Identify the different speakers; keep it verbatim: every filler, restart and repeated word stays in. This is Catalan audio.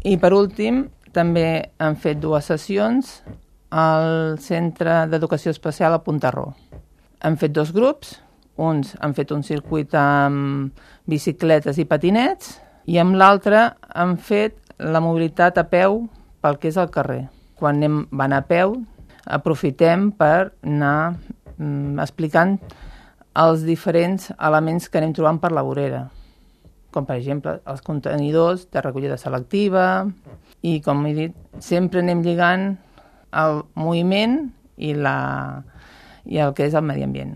Speaker 1: I per últim, també han fet dues sessions al Centre d'Educació Especial a Puntarró. Han fet dos grups, uns han fet un circuit amb bicicletes i patinets i amb l'altre han fet la mobilitat a peu pel que és el carrer. Quan anem, van a peu, aprofitem per anar mm, explicant els diferents elements que anem trobant per la vorera, com per exemple els contenidors de recollida selectiva i, com he dit, sempre anem lligant el moviment i, la, i el que és el medi ambient.